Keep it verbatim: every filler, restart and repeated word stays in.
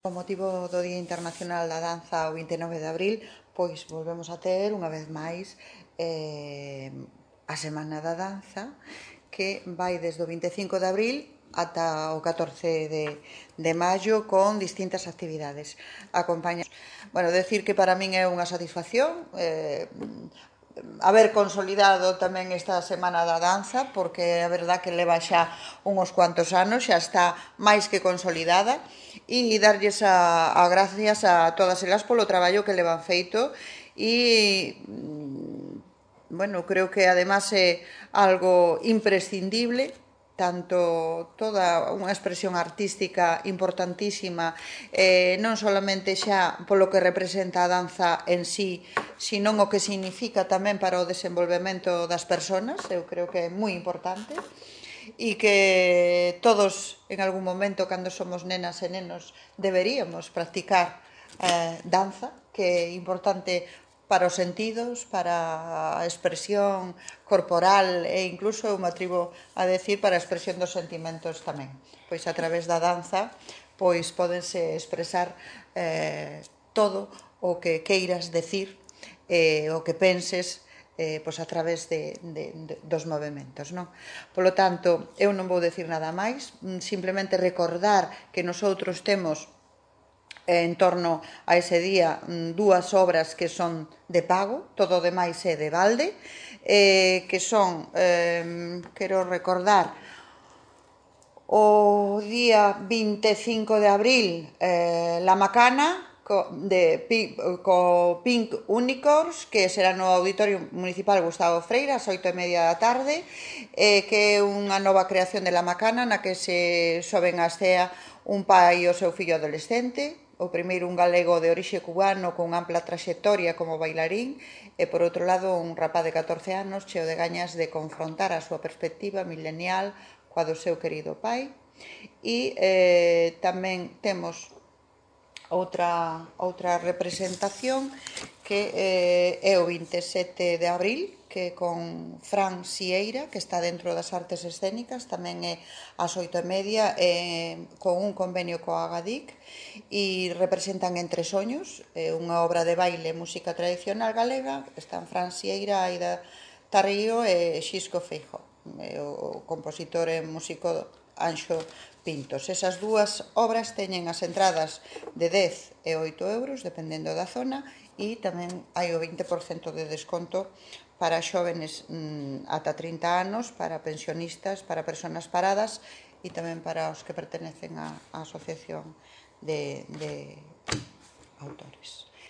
Con motivo do Día Internacional da Danza o vinte e nove de abril, pois volvemos a ter unha vez máis eh, a Semana da Danza, que vai desde o vinte e cinco de abril ata o catorce de, de maio con distintas actividades. Acompaña... Bueno, decir que para min é unha satisfacción eh, haber consolidado tamén esta Semana da Danza, porque a verdad que leva xa uns cuantos anos, xa está máis que consolidada, e darlles a, a gracias a todas elas polo traballo que levan feito e, bueno, creo que además é algo imprescindible, tanto toda unha expresión artística importantísima, eh, non solamente xa polo que representa a danza en sí, sino o que significa tamén para o desenvolvemento das persoas. Eu creo que é moi importante e que todos en algún momento, cando somos nenas e nenos, deberíamos practicar eh, danza, que é importante para os sentidos, para a expresión corporal e incluso, eu me atrevo a decir, para a expresión dos sentimentos tamén. Pois a través da danza pois pódense expresar eh, todo o que queiras decir, eh, o que penses, eh, pois a través de, de, de, dos movimentos, non? Polo tanto, eu non vou decir nada máis, simplemente recordar que nosoutros temos en torno a ese día dúas obras que son de pago, todo o demais é de balde, eh, que son, eh, quero recordar, o día vinte e cinco de abril, eh, La Macana, co, de, co Pink Unicorns, que será no Auditorio Municipal Gustavo Freire, ás oito e media da tarde, eh, que é unha nova creación de La Macana, na que se soben á escea un pai e o seu fillo adolescente, o primeiro un galego de orixe cubano con ampla traxectoria como bailarín e, por outro lado, un rapaz de catorce anos cheo de gañas de confrontar a súa perspectiva milenial coa do seu querido pai. E eh, tamén temos outra, outra representación que eh, é o vinte e sete de abril, que con Fran Sieira, que está dentro das artes escénicas, tamén é ás oito e media, eh, con un convenio coa Agadic, e representan Entre Soños, eh, unha obra de baile e música tradicional galega. Están Fran Sieira, Aida Tarrío e Xisco Feijóo, e o compositor e músico Anxo Pintos. Esas dúas obras teñen as entradas de dez e oito euros, dependendo da zona, e tamén hai o vinte por cento de desconto para xóvenes mmm, ata trinta anos, para pensionistas, para persoas paradas e tamén para os que pertenecen á asociación de, de autores.